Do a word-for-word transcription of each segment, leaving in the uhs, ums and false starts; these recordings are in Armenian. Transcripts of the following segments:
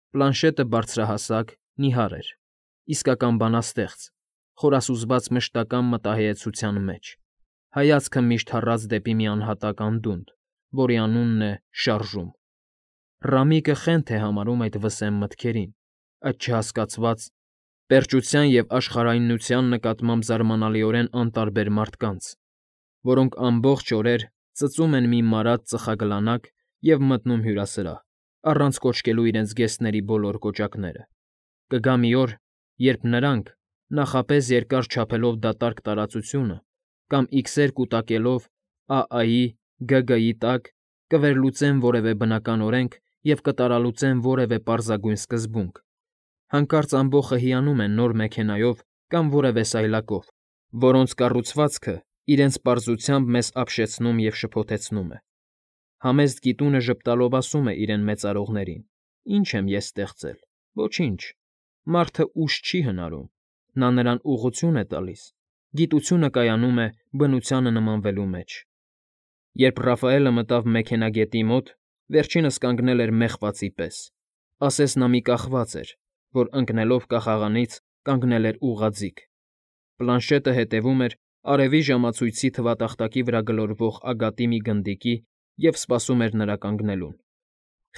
Պլանշետը բարձրահասակ, նիհար էր, իսկական բանաստեղծ, խորասուզված մշտական մտահեծության մեջ, հայացքը միշտ հառած դեպի մի անհատակ անդունդ, որի անունն է Շարժում. Ռամիկը խենթ է համարում այդ վսեմ մտքերին, այդ չհասկացված, պերճության և աշխարհայնության նկատմամբ զարմանալիորեն անտարբեր մարդկանց, որոնք ամբողջ օրեր ծծում են մի մարած ծխագլանակ և մտնում հյուրասրահ, առանց կոչկելու իրենց զգեստների բոլոր կոճակները. կգա մի օր, երբ նրանք, նախապես երկար չափելով դատարկ տարածությունը կամ իքսեր կուտակելով Ա֊Ա֊ի, Գ֊Գ֊ի տակ, կվերլուծեն որևէ բնական օրենք և կտարալուծեն որևէ պարզագույն սկզբունք, հանկարծ ամբոխը հիանում են նոր մեքենայով կամ որևէ սայլակով, որոնց կառուցվածքը իրենց պարզությամբ մեզ ապշեցնում և շփոթեցնում է։ Համեստ գիտունը ժպտալով ասում է իրեն մեծարողներին. «Ի՞նչ եմ ես ստեղծել, ոչինչ, մարդը ուժ չի հնարում, նա նրան ուղղություն է տալիս, գիտությունը կայանում է բնությանը նմանվելու մեջ»։ Երբ Ռաֆայելը մտավ մեքենագետի մոտ, վերջինս կանգնել էր մեղվածի պես, ասես նա մի կախված էր, որ ընկնելով կախաղանից կանգնել էր ուղղաձիգ։ Պլանշետը հետևում էր արևի ժամացույցի թվատախտակի վրա գլորվող ագատի մի գնդիկի և սպասում էր նրա կանգնելուն։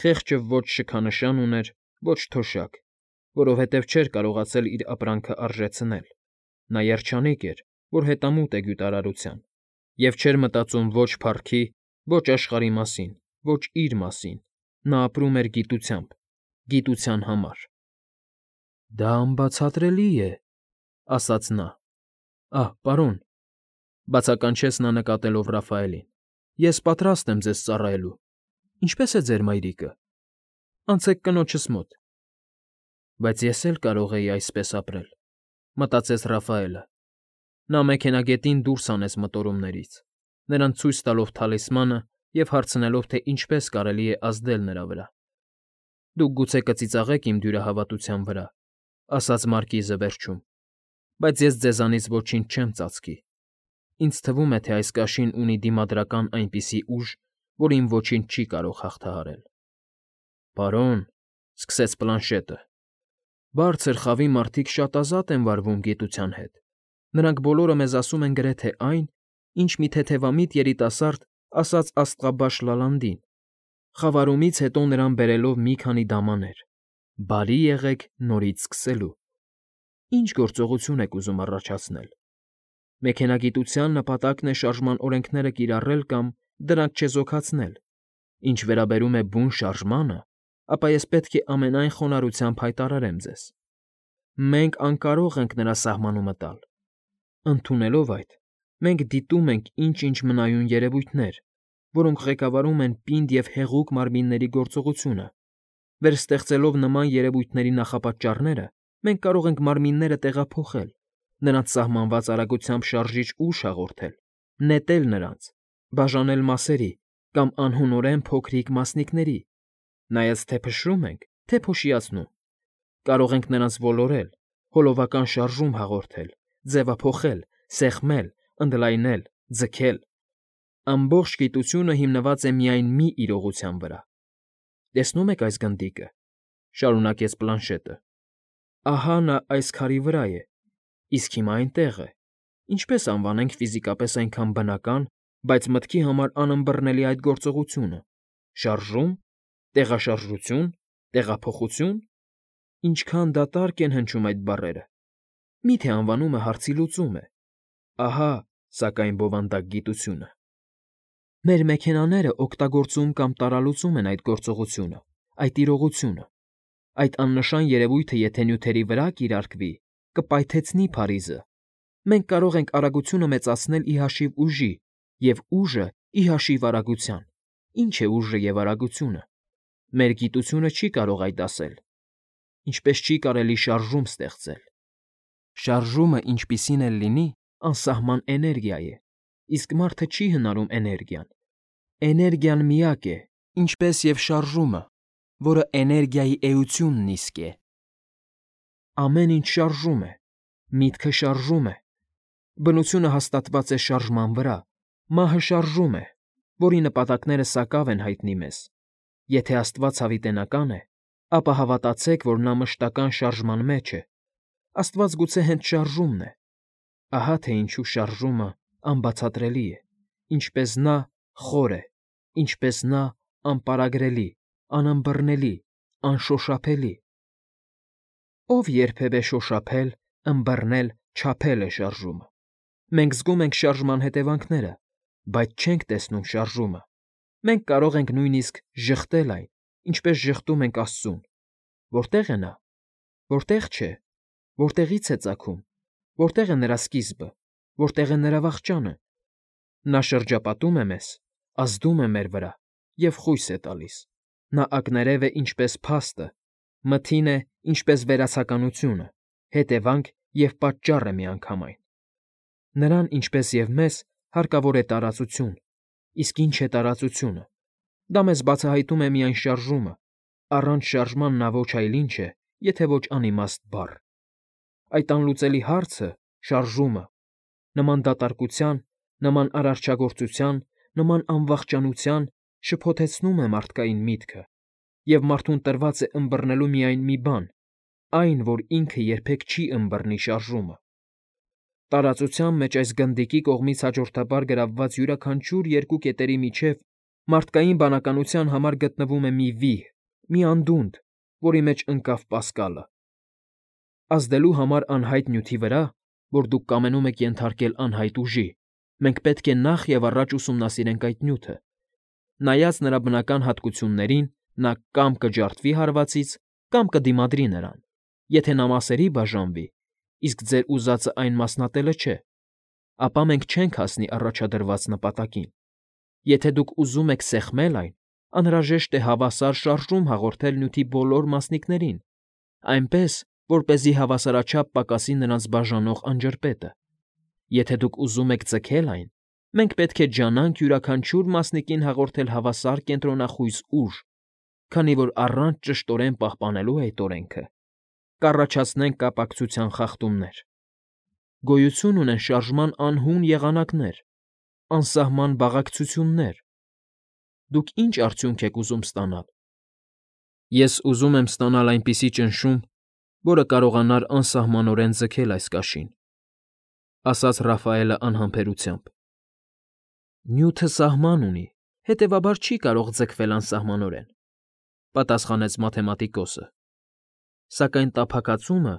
Խեղճը ոչ շքանշան ուներ, ոչ թոշակ, որովհետև չէր կարողացել իր ապրանքն արժեցնել. նա երջանիկ էր, որ հետամուտ է գյուտարարության, և չէր մտածում ոչ փառքի, ոչ աշխարհի մասին, ոչ իր մասին, նա ապրում էր գիտությամբ, գիտության համար։ «Դա անբացատրելի է,֊ ասաց նա։ Ահ, պարոն,֊ բացականչեց նա նկատելով Ռաֆայելին,֊ ես պատրաստ եմ ձեզ ծառայելու։ Ինչպե՞ս է ձեր մայրիկը։ Անցեք կնոջս մոտ»։ Բայց ես էլ կարող էի այսպես ապրել,֊ մտածեց Ռաֆայելը։ Նա մեքենագետին դուրս հանեց մտորումներից, նրան ցույց տալով թալիսմանը և հարցնելով, թե ինչպես կարելի է ազդել նրա վրա։ «Դուք գուցե կծիծաղեք իմ դյուրահավատության վրա,֊ ասաց մարկիզը վերջում,֊ բայց ես ձեզանից ոչինչ չեմ ծածկի։ Ինձ թվում է, թե այս կաշին ունի դիմադրական այնպիսի ուժ, որին ոչինչ չի կարող հաղթահարել»։ «Պարոն,֊ սկսեց Պլանշետը,֊ բարձր խավի մարդիկ շատ ազատ են վարվում գիտության հետ, նրանք բոլորը մեզ ասում են գրեթե այն, ինչ մի թեթևամիտ երիտասարդ ասաց աստղաբաշխ Լալանդին, խավարումից հետո նրան բերելով մի քանի դամաներ. «Բարի եղեք նորից սկսելու»։ Ի՞նչ գործողություն եք ուզում առաջացնել։ Մեքենագիտության նպատակն է շարժման օրենքները կիրառել կամ դրանք չեզոքացնել։ Ինչ վերաբերում է բուն շարժմանը, ապա ես պետք է ամենայն խոնարհությամբ հայտարարեմ ձեզ. մենք անկարող ենք նրա սահմանումը տալ։ Ընդունելով այդ, մենք դիտում ենք ինչ֊ինչ մնայուն երևույթներ, որոնք ղեկավարում են պինդ և հեղուկ մարմինների գործողությունը։ Վերստեղծելով նման երևույթների նախապաճառները, մենք կարող ենք մարմինները տեղափոխել, նրանց սահմանված արագությամբ շարժիչ ուժ հաղորդել, նետել նրանց, բաժանել մասերի կամ անհունորեն փոքրիկ մասնիկների, նայած թե փշրում ենք, թե փոշիացնում։ Կարող ենք նրանց ոլորել, հոլովական շարժում հաղորդել, ձևափոխել, սեղմել, ընդլայնել, ձգել։ Ամբողջ գիտությունը հիմնված է միայն մի իրողության վրա։ Տեսնո՞ւմ եք այս գնդիկը,֊ շարունակեց Պլանշետը։ Ահա նա այս քարի վրա է, իսկ հիմա այնտեղ է։ Ինչպե՞ս անվանենք ֆիզիկապես այնքան բնական, բայց մտքի համար անըմբռնելի այդ գործողությունը՝ շարժո՞ւմ, տեղաշարժությո՞ւն, տեղափոխությո՞ւն։ Ինչքան դատարկ են հնչում այդ բառերը։ Մի՞թե անվանումը հարցի լուծում է։ Ահա, սակայն, բովանդակ գիտությունը։ Մեր մեքենաները օգտագործում կամ տարալուծում են այդ գործողությունը, այդ իրողությունը։ Այդ աննշան երևույթը եթե նյութերի վրա կիրարկվի, կպայթեցնի Փարիզը։ Մենք կարող ենք արագությունը մեծացնել ի հաշիվ ուժի և ուժը ի հաշիվ արագության։ Ի՞նչ է ուժը և արագությունը։ Մեր գիտությունը չի կարող այդ ասել։ Ինչպես չի կարելի շարժում ստեղծել։ Շարժումը, ինչպիսին էլ լինի, անսահման էներգիա է, իսկ մարդը չի հնարում էներգիան։ Էներգիան միակ է, ինչպես և շարժումը, որը էներգիայի էությունն իսկ է։ Ամեն ինչ շարժում է, միտքը շարժում է։ Բնությունը հաստատված է շարժման վրա, մահը շարժում է, որի նպատակները սակավ են հայտնի մեզ։ Եթե Աստված հավիտենական է, ապա հավատացեք, որ նա մշտական շարժման մեջ է։ Աստված գուցե հենց շարժումն է։ Ահա թե ինչու շարժումը անբացատրելի է, ինչպես նա խոր է, ինչպես նա անպարագրելի, անըմբռնելի, անշոշափելի։ Ով երբևէ շոշափել, ըմբռնել, չափել է շարժումը։ Մենք զգում ենք շարժման հետևանքները, բայց չենք տեսնում շարժումը։ Մենք կարող ենք նույնիսկ ժխտել այն, ինչպես ժխտում ենք Աստծուն։ Որտե՞ղ է նա։ Որտե՞ղ չէ։ Որտեղի՞ց է ծագում։ Որտե՞ղ է նրա սկիզբը։ Որտե՞ղ է նրա վախճանը։ Նա շրջապատում է մեզ, ազդում է մեր վրա և խույս է տալիս։ Նա ակներև է ինչպես փաստը, մթին է ինչպես վերացականությունը, հետևանք և պատճառ է միանգամայն։ Նրան, ինչպես և մեզ, հարկավոր է տարածություն։ Իսկ ի՞նչ է տարածությունը։ Դա մեզ բացահայտում է միայն շարժումը։ Առանց շարժման նա ոչ այլ ինչ է, եթե ոչ անիմաստ բառ։ Այդ անլուծելի հարցը՝ շարժումը, նման դատարկության, նման արարչագործության, նման անվախճանության, շփոթեցնում է մարդկային միտքը, և մարդուն տրված է ըմբռնելու միայն մի բան՝ այն, որ ինքը երբեք չի ըմբռնի շարժումը։ Տարածության մեջ այս գնդիկի կողմից հաջորդաբար գրավված յուրաքանչյուր երկու կետերի միջև մարդկային բանականության համար գտնվում է մի վիհ, մի անդունդ, որի մեջ ընկավ Պասկալը։ Ազդելու համար անհայտ նյութի վրա, որ դուք կամենում եք ենթարկել անհայտ ուժի, մենք պետք է նախ և առաջ ուսումնասիրենք այդ նյութը։ Նայած նրա բնական հատկություններին, նա կամ կջարդվի հարվածից, կամ կդիմադրի նրան։ Եթե նա մասերի բաժանվի, իսկ ձեր ուզածը այն մասնատելը չէ, ապա մենք չենք հասնի առաջադրված նպատակին։ Եթե դուք ուզում եք սեղմել այն, անհրաժեշտ է հավասար շարժում հաղորդել նյութի բոլոր մասնիկներին, այնպես, որպեսզի հավասարաչափ պակասի նրանց բաժանող անջրպետը։ Եթե դուք ուզում եք ձգել այն, մենք պետք է ջանանք յուրաքանչյուր մասնիկին հաղորդել հավասար կենտրոնախույս ուժ, քանի որ առանց ճշտորեն պահպանելու այդ օրենքը կառաջացնենք կապակցության խախտումներ։ Գոյություն ունեն շարժման անհուն եղանակներ, անսահման բաղակցություններ։ Դուք ինչ արդյունք եք ուզում ստանալ։ Ես ուզում եմ ստանալ այնպիսի ճնշում, որը կարողանար անսահմանորեն ձգել այս կաշին,֊ ասաց Ռաֆայելը անհամբերությամբ։ Նյութը սահման ունի, հետևաբար չի կարող ձգվել անսահմանորեն,֊ պատասխանեց մաթեմատիկոսը։ Սակայն տափակացումը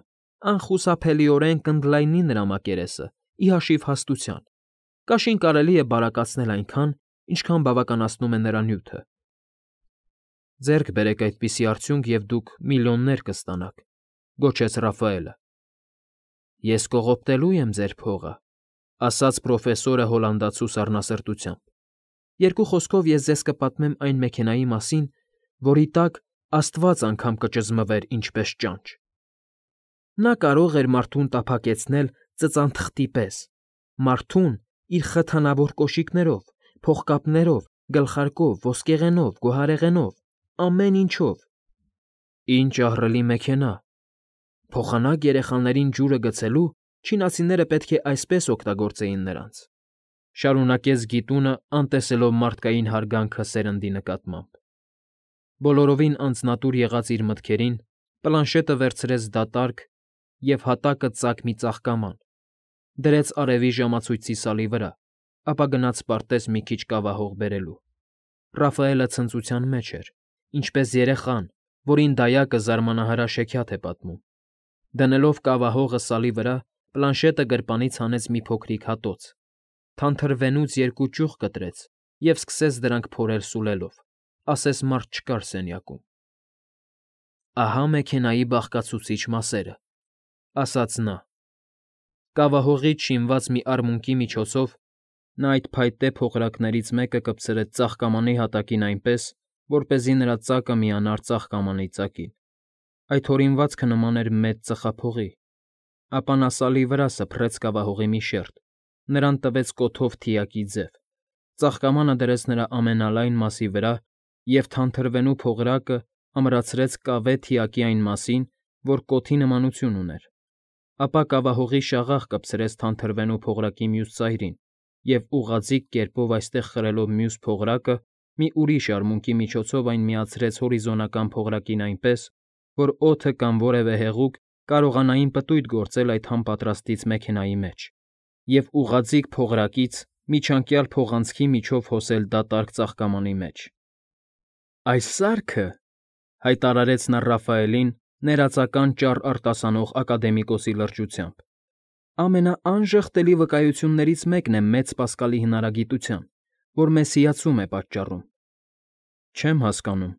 անխուսափելիորեն կընդլայնի նրա մակերեսը ի հաշիվ հաստության։ Կաշին կարելի է բարակացնել այնքան, ինչքան բավականացնում է նրա նյութը։ Ձեռք բերեք այդպիսի արդյունք, և դուք միլիոններ կստանաք,֊ գոչեց Ռաֆայելը։ Ես կողոպտելու եմ ձեր փողը,֊ ասաց պրոֆեսորը հոլանդացու սառնասրտությամբ։ Երկու խոսքով ես ձեզ կպատմեմ այն մեքենայի մասին, որի տակ Աստված անգամ կճզմվեր ինչպես ճանճ։ Նա կարող էր մարդուն տափակեցնել ծծանթղթի պես, մարդուն իր խթանավոր կոշիկներով, փողկապներով, գլխարկով, ոսկեղենով, գոհարեղենով, ամեն ինչով։ Ինչ ահռելի մեքենա։ Փոխանակ երեխաներին ջուրը գցելու չինացիները պետք է այսպես օգտագործեին նրանց,֊ շարունակեց գիտունը, անտեսելով մարդկային հարգանքը սերնդի նկատմամբ։ Բոլորովին անձնատուր եղած իր մտքերին, պլանշետը վերցրեց դատարկ և հատակը ծակ մի ծաղկաման, դրեց արևի ժամացույցի սալի վրա, ապա գնաց պարտեզ մի քիչ կավահող բերելու։ Ռաֆայելը ցնծության մեջ էր, ինչպես երեխան, որին դայակը զարմանահրաշ հեքիաթ է պատմում։ Դնելով կավահողը սալի վրա, պլանշետը գրպանից հանեց մի փոքրիկ հատոց, թանթրվենուց երկու ճյուղ կտրեց և սկսեց դրանք փորել սուլելով, ասես մարդ չկար սենյակում։ Ահա մեքենայի բաղկացուցիչ մասերը,֊ ասաց նա։ Կավահողից շինված մի արմունկի միջոցով նա այդ փայտե փողրակներից մեկը կպցրեց ծաղկամանի հատակին այնպես, որպեսզի նրա ծակը միանար ծաղկամանի ծակին։ Այդ հորինվածքը նման էր մեծ ծխափողի։ Ապա նա սալի վրա սփռեց կավահողի մի շերտ, նրան տվեց կոթով թիակի ձև, ծաղկամանը դրեց նրա ամենալայն մասի վրա և թանթրվենու փողրակը ամրացրեց կավե թիակի այն մասին, որ կոթի նմանություն ուներ։ Ապա կավահողի շաղախ կպցրեց թանթրվենու փողրակի մյուս ծայրին և ուղղաձիգ կերպով այստեղ խրելով մյուս փողրակը, մի ուրիշ արմունկի միջոցով այն միացրեց հորիզոնական փողրակին այնպես, որ օդը կամ որևէ հեղուկ կարողանային պտույտ գործել այդ համապատրաստից մեքենայի մեջ և ուղղաձիգ փողրակից միջանկյալ փողանցքի միջով հոսել դատարկ ծաղկամանի մեջ։ «Այս սարքը,֊ հայտարարեց նա Ռաֆայելին ներածական ճառ արտասանող ակադեմիկոսի լրջությամբ,֊ ամենաանժխտելի վկայություններից մեկն է մեծ սպասկալի հնարագիտության, որ մեզ հիացում է պատճառում»։ «Չեմ հասկանում»։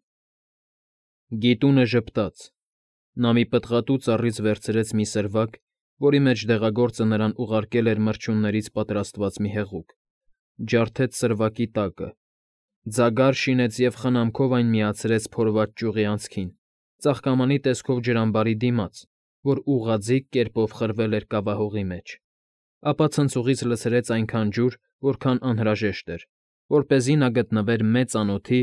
Գիտունը ժպտաց։ Նա մի պտղատու ծառից վերցրեց մի սրվակ, որի մեջ դեղագործը նրան ուղարկել էր մրջյուններից պատրաստված մի հեղուկ, ջարդեց սրվակի տակը, ձագար շինեց և խնամքով այն միացրեց փորված ճյուղի անցքին, ծաղկամանի տեսքով ջրամբարի դիմաց, որ ուղղաձիգ կերպով խրվել էր կավահողի մեջ, ապա ցնցուղից լցրեց այնքան ջուր, որքան անհրաժեշտ էր, որպեսզի նա գտնվեր մեծ անոթի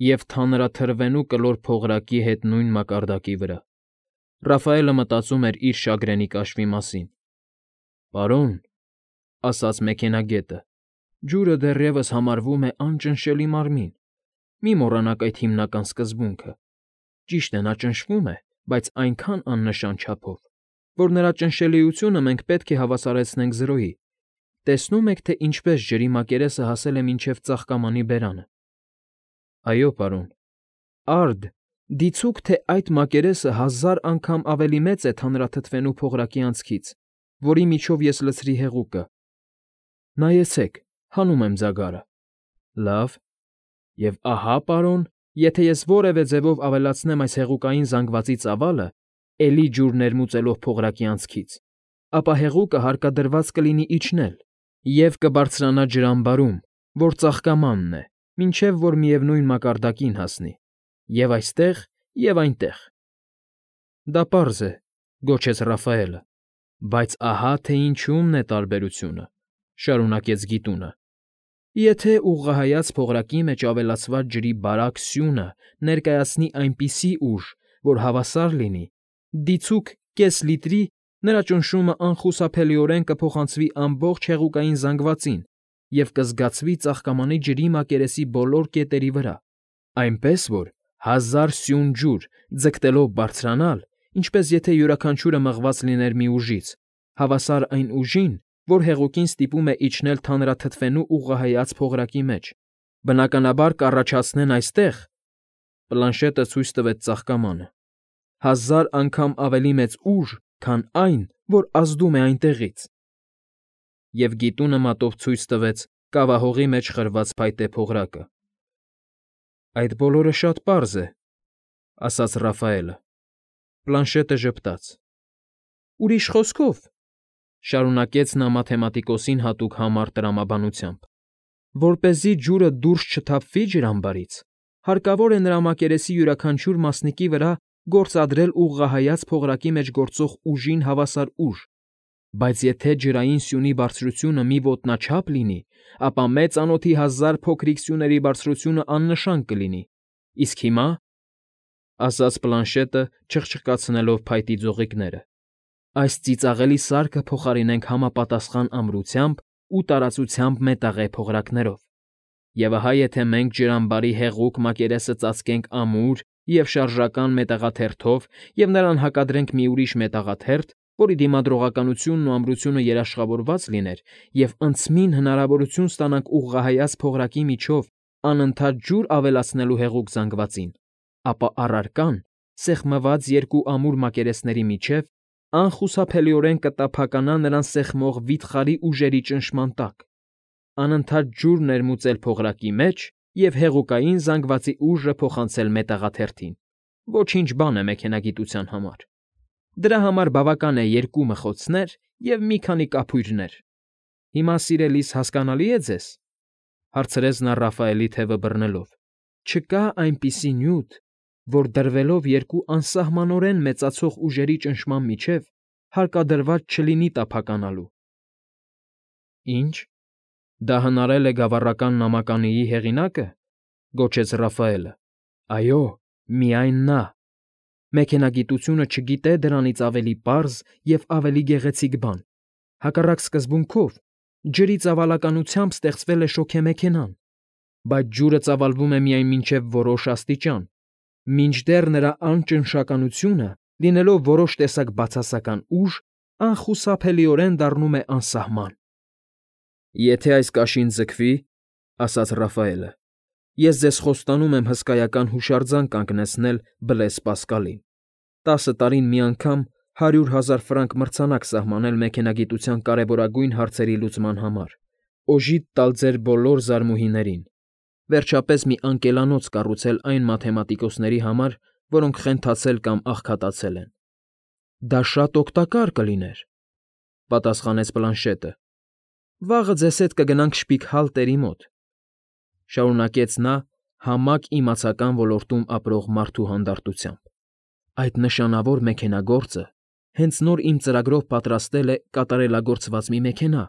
և թանրաթրվենու կլոր փողրակի հետ նույն մակարդակի վրա։ Ռաֆայելը մտածում էր իր շագրենի կաշվի մասին։ «Պարոն,֊ ասաց մեքենագետը,֊ ջուրը դեռևս համարվում է անճնշելի մարմին։ Մի մոռանաք այդ հիմնական սկզբունքը. ճիշտ է, նա ճնշվում է, բայց այնքան աննշան չափով, որ նրա ճնշելիությունը մենք պետք է հավասարեցնենք զրոյի։ Տեսնո՞ւմ եք, թե ինչպես ջրի մակերեսը հասել է մինչև ծաղկամանի բերանը»։ «Այո, պարոն»։ «Արդ, դիցուք, թե այդ մակերեսը հազար անգամ ավելի մեծ է թանրաթթվենու փողրակի անցքից, որի միջով ես լցրի հեղուկը։ Նայեցեք, հանում եմ ձագարը։ Լավ։ Եվ ահա, պարոն, եթե ես որևէ ձևով ավելացնեմ այս հեղուկային զանգվածի ծավալը, էլի ջուր ներմուծելով փողրակի անցքից, ապա հեղուկը հարկադրված կլինի իջնել և կբարձրանա ջրամբարում, որ ծաղկամանն է, մինչև որ միևնույն մակարդակին հասնի, և այստեղ, և այնտեղ»։ «Դա պարզ է,֊ գոչեց Ռաֆայելը,֊ բայց ահա թե ինչումն է տարբերությունը,֊ շարունակեց Գիտունը։ Եթե ուղղահայաց փողրակի մեջ ավելացված ջրի բարակ սյունը ներկայացնի այնպիսի ուժ, որ հավասար լինի, դիցուք կես լիտրի, նրա ճնշումը անխուսափելիորեն կփոխանցվի ամբողջ հեղուկային զանգվածին և կզգացվի ծաղկամանի ջրի մակերեսի բոլոր կետերի վրա, այնպես որ հազար սյուն ջուր ձգտելով բարձրանալ, ինչպես եթե յուրաքանչյուրը մղված լիներ մի ուժից, հավասար այն ուժին, որ հեղուկին ստիպում է իջնել թանրաթթվենու ուղղահայաց փողրակի մեջ, բնականաբար կառաջացնեն այստեղ (պլանշետը ցույց տվեց ծաղկամանը) հազար անգամ ավելի մեծ ուժ, քան այն, որ ազդում է այնտեղից։ Եվ Գիտունը մատով ցույց տվեց կավահողի մեջ խրված փայտե փողրակը։ «Այդ բոլորը շատ պարզ է,֊ ասաց Ռաֆայելը։ Պլանշետը ժպտաց։ «Ուրիշ խոսքով,֊ շարունակեց նա մաթեմատիկոսին հատուկ համառ տրամաբանությամբ,֊ որպեսզի ջուրը դուրս չթափվի ջրամբարից, հարկավոր է նրա մակերեսի յուրաքանչյուր մասնիկի վրա գործադրել ուղղահայաց փողրակի մեջ գործող ուժին հավասար ուժ, բայց եթե ջրային սյունի բարձրությունը մի ոտնաչափ լինի, ապա մեծ անոթի հազար փոքրիկ սյուների բարձրությունը աննշան կլինի, իսկ հիմա,֊ ասաց Պլանշետը, չխչկացնելով փայտի ձողիկները,֊ այս ծիծաղելի սարքը փոխարինենք համապատասխան ամրությամբ ու տարածությամբ մետաղե փողրակներով, և ահա եթե մենք ջրամբարի հեղուկ մակերեսը ծածկենք ամուր և շարժական մետաղաթերթով և նրան հակադրենք մի ուրիշ մետաղաթերթ, որի դիմադրողականությունն ու ամրությունը երաշխավորված լիներ, և անցմին հնարավորություն ստանանք ուղղահայաց փողրակի միջով անընդհատ ջուր ավելացնելու հեղուկ զանգվածին, ապա առարկան, սեղմված երկու ամուր մակերեսների միջև, անխուսափելիորեն կտափականա նրան սեղմող վիթխարի ուժերի ճնշման տակ, անընդհատ ջուր ներմուծել փողրակի մեջ և հեղուկային զանգվածի ուժը փոխանցել մետաղաթերթին։ Ոչինչ բան է մեքենագիտության համար։ Դրա համար բավական է երկու մխոցներ և մի քանի կափույրներ։ Հիմա, սիրելիս, հասկանալի՞ է ձեզ,֊ հարցրեց նա Ռաֆայելի թևը բռնելով,֊ չկա այնպիսի նյութ, որ դրվելով երկու անսահմանորեն մեծացող ուժերի ճնշման միջև հարկադրված չլինի տափականալու։ «Ի՞նչ, դա հնարել է գավառական նամականիի հեղինա՞կը,֊ գոչեց Ռաֆայելը։ «Այո, միայն նա։ Մեքենագիտությունը չգիտե դրանից ավելի պարզ և ավելի գեղեցիկ բան։ Հակառակ սկզբունքով, ջրի ծավալականությամբ ստեղծվել է շոգեմեքենան, բայց ջուրը ծավալվում է միայն մինչև որոշ աստիճան, Մինչդեռ նրա անճնշականությունը, լինելով որոշ տեսակ բացասական ուժ, անխուսափելիորեն դառնում է անսահման։ Եթե այս կաշին ձգվի, ասաց Ռաֆայելը, ես ձեզ խոստանում եմ հսկայական հուշարձան կանգնեցնել Բլես Պասկալին, տասը տարին մի անգամ հարյուր հազար ֆրանկ մրցանակ սահմանել մեքենագիտության կարևորագույն հարցերի լուծման համար, օժիտ տալ ձեր բոլոր զարմուհիներին, վերջապես մի անկելանոց կառուցել այն մաթեմատիկոսների համար, որոնք խենթացել կամ աղքատացել են։ Դա շատ օգտակար կլիներ, պատասխանեց Պլանշետը։ Վաղը ձեզ հետ կգնանք Շպիգհալտերի մոտ, շարունակեց նա համակ իմացական ոլորտում ապրող մարդու հանդարտությամբ։ Այդ նշանավոր մեքենագործը հենց նոր իմ ծրագրով պատրաստել է կատարելագործված մի մեքենա,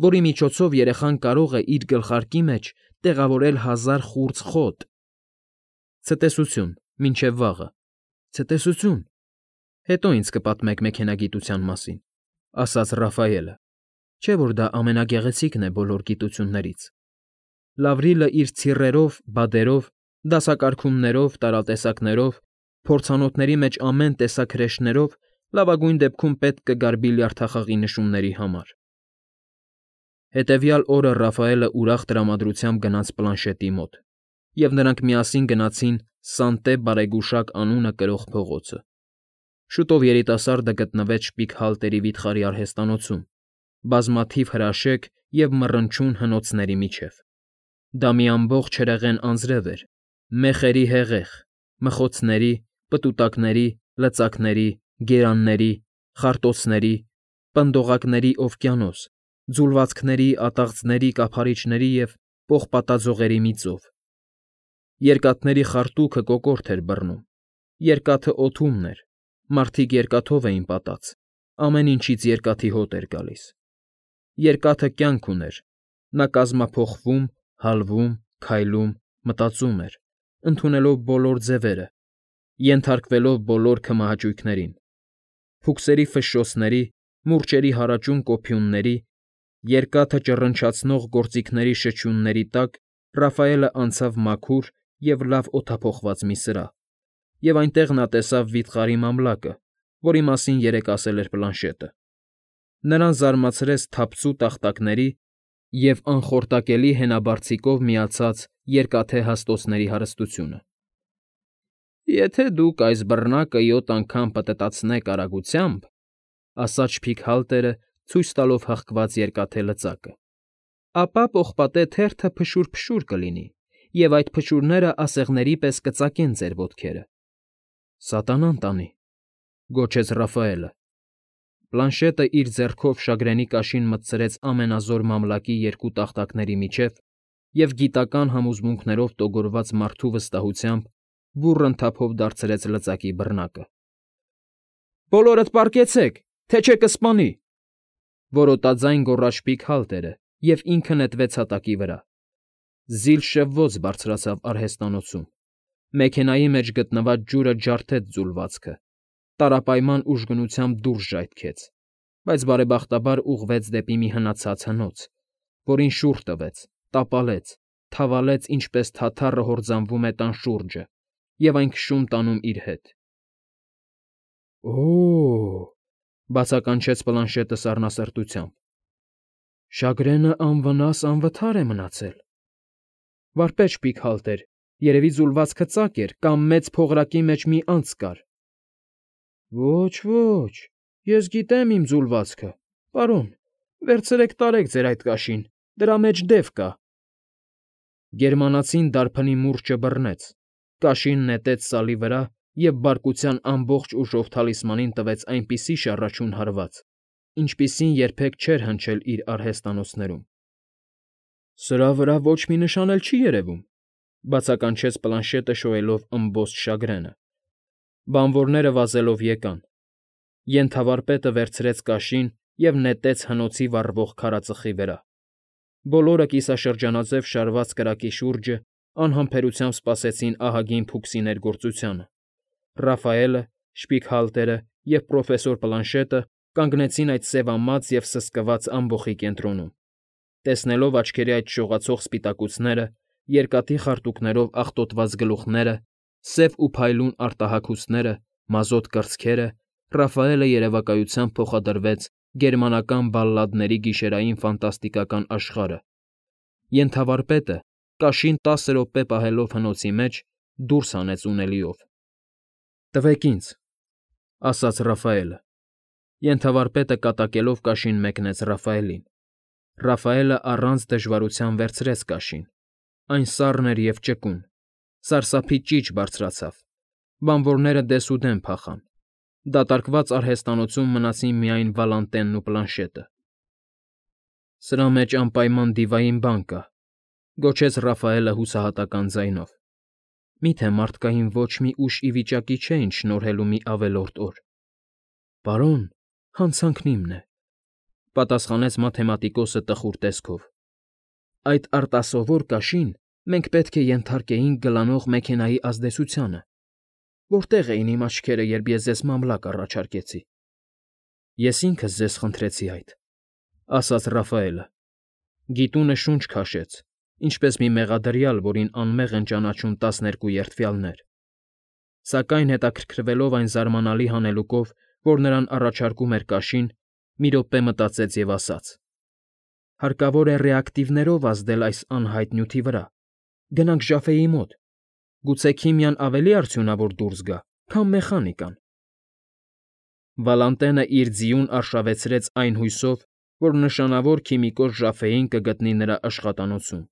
որի միջոցով երեխան կարող է իր գլխարկի մեջ տեղավորել հազար խուրձ խոտ։ Ցտեսություն, մինչև վաղը, ցտեսություն։ Հետո ինձ կպատմեք մեքենագիտության մասին, ասաց Ռաֆայելը, չէ՞ որ դա ամենագեղեցիկն է բոլոր գիտություններից։ Լավրիլը իր ցիռերով, բադերով, դասակարգումներով, տարատեսակներով, փորձանոթների մեջ ամեն տեսակ հրեշներով լավագույն դեպքում պետք կգար բիլիարդախաղի նշումների համար։ Հետևյալ օրը Ռաֆայելը ուրախ տրամադրությամբ գնաց Պլանշետի մոտ, և նրանք միասին գնացին Սանտե Բարեգուշակ անունը կրող փողոցը։ Շուտով երիտասարդը գտնվեց Շպիգհալտերի վիթխարի արհեստանոցում, բազմաթիվ հրաշեկ և մռնչուն հնոցների միջև։ Դա մի ամբողջ հրեղեն անձրև էր, մեխերի հեղեղ, մխոցների, պտուտակների, լծակների, գերանների, խարտոցների, պնդողակների օվկիանոս, ձուլվածքների, ատաղձների, կափարիչների և պողպատաձողերի մի ծով։ Երկաթների խարտուքը կոկորդ էր բռնում, երկաթը օդումն էր, մարդիկ երկաթով էին պատած, ամեն ինչից երկաթի հոտ էր գալիս։ Երկաթը կյանք ուներ, նա կազմափոխվում, հալվում, քայլում, մտածում էր, ընդունելով բոլոր ձևերը, ենթարկվելով բոլոր քմահաճույքներին, փուքսերի ֆշշոցների, մուրճերի հարաճուն կոփյունների, երկաթը ճռնչացնող գործիքների շչյունների տակ Ռաֆայելը անցավ մաքուր և լավ օդափոխված մի սրահ, և այնտեղ նա տեսավ վիթխարի մամլակը, որի մասին երեկ ասել էր Պլանշետը։ Նրան զարմացրեց թավծու տախտակների և անխորտակելի հենաբարձիկով միացած երկաթե հաստոցների հարստությունը։ Եթե դուք այս բռնակը յոթ անգամ պտտացնեք արագությամբ, ասաց Շպիգհալտերը, ցույց տալով հղկված երկաթե լծակը, ապա պողպատե թերթը փշուր֊փշուր կլինի, և այդ փշուրները ասեղների պես կծակեն ձեր ոտքերը։ Սատանան տանի, գոչեց Ռաֆայելը։ Պլանշետը իր ձեռքով շագրենի կաշին մտցրեց ամենազոր մամլակի երկու տախտակների միջև և գիտական համոզմունքներով տոգորված մարդու վստահությամբ բուռն թափով դարձրեց լծակի բռնակը։ Բոլորդ պառկեցեք, թե չէ կսպանի, որոտաձայն գոռաց Շպիգհալտերը և ինքը նետվեց հատակի վրա։ Զիլ շվվոց բարձրացավ արհեստանոցում, մեքենայի մեջ գտնված ջուրը ջարդեց ձուլվածքը, տարապայման ուժգնությամբ դուրս ժայթքեց, բայց բարեբախտաբար ուղղվեց դեպի մի հնացած հնոց, որին շուռ տվեց, տապալեց, թավալեց, ինչպես թաթառը հորձանվում է տան շուրջը և այն քշում տանում իր հետ։ Օ՜օ,֊ բացականչեց Պլանշետը սառնասրտությամբ։ Շագրենը անվնաս անվթար է մնացել։ Վարպետ Շպիգհալտեր, երևի ձուլվածքը ծակ էր կամ մեծ փողրակի մեջ մի անցք կար։ Ոչ, ոչ, ես գիտեմ իմ ձուլվածքը, պարոն, վերցրեք տարեք ձեր այդ կաշին, դրա մեջ դև կա։ Գերմանացին դարբնի մուրճը բռնեց, կաշին նետեց սալի վրա և բարկության ամբողջ ուժով թalisմանին տվեց այնպիսի շառաչուն հարված, ինչպիսին երբեք չէր հնչել իր արհեստանոցներում։ Սրա վրա ոչ մի նշան էլ չի երևում, բացականչեց Պլանշետը շոյելով ըմբոստ շագրենը։ Բանվորները վազելով եկան։ Ենթավարպետը վերցրեց կաշին և նետեց հնոցի վառվող քարածխի վրա։ Բոլորը կիսաշրջանաձև շարված կրակի շուրջը անհամբերությամբ սպասեցին ահագին փուքսի ներգործությանը։ Ռաֆայելը, Շպիգհալտերը և պրոֆեսոր Պլանշետը կանգնեցին այդ սևամած և սսկված ամբոխի կենտրոնում, տեսնելով աչքերի այդ շողացող սպիտակուցները, երկաթի խարտուքներով աղտոտված գլուխները, Սև ու փայլուն արտահագուստները, մազոտ կրծքերը, Ռաֆայելը երևակայությամբ փոխադրվեց գերմանական բալլադների գիշերային ֆանտաստիկական աշխարհը, ենթավարպետը, կաշին տասը րոպե պահելով հնոցի մեջ, դուրս հանեց ունելիով։ ֊ Տվեք ինձ, ֊ ասաց Ռաֆայելը։ Ենթավարպետը կատակելով կաշին մեկնեց Ռաֆայելին։ Ռաֆայելը առանց դժվարության վերցրեց կաշին. այն սառն էր և ճկուն, սարսափի ճիչ բարձրացավ, բանվորները դեսուդեն փախան, դատարկված արհեստանոցում մնացին միայն Վալանտենն ու պլանշետը։ ֊ Սրա մեջ անպայման դիվային բան կա, ֊ գոչեց Ռաֆայելը հուսահատական ձայնով։ Միթե մարդկային ոչ մի ուժ ի վիճակի չէ ինձ շնորհելու մի ավելորդ օր։ ֊ Պարոն, հանցանքն իմն է, ֊ պատասխանեց մաթեմատիկոսը տխուր տեսքով։ Այդ արտասովոր կաշին մենք պետք է ենթարկեինք գլանող մեքենայի ազդեցությանը։ Որտե՞ղ էին իմ աչքերը, երբ ես ձեզ մամլակ առաջարկեցի։ ֊ Ես ինքս ձեզ խնդրեցի այդ, ֊ ասաց Ռաֆայելը։ Գիտունը շունչ քաշեց, ինչպես մի մեղադրյալ, որին անմեղ են ճանաչում տասներկու երդվյալներ։ Սակայն հետաքրքրվելով այն զարմանալի հանելուկով, որ նրան առաջարկում էր կաշին, մի րոպե մտածեց և ասաց. հարկավոր է ռեակտիվներով ազդել այս անհայտ նյութի վրա, գնանք ժաֆեի մոտ, գուցե քիմիան ավելի արդյունավոր դուրս գա, քան մեխանիկան։ Վալանտենը իր ձիուն արշավեցրեց այն հույսով, որ նշանավոր քիմիկոս ժաֆեին կգտնի նրա աշխատանոցում։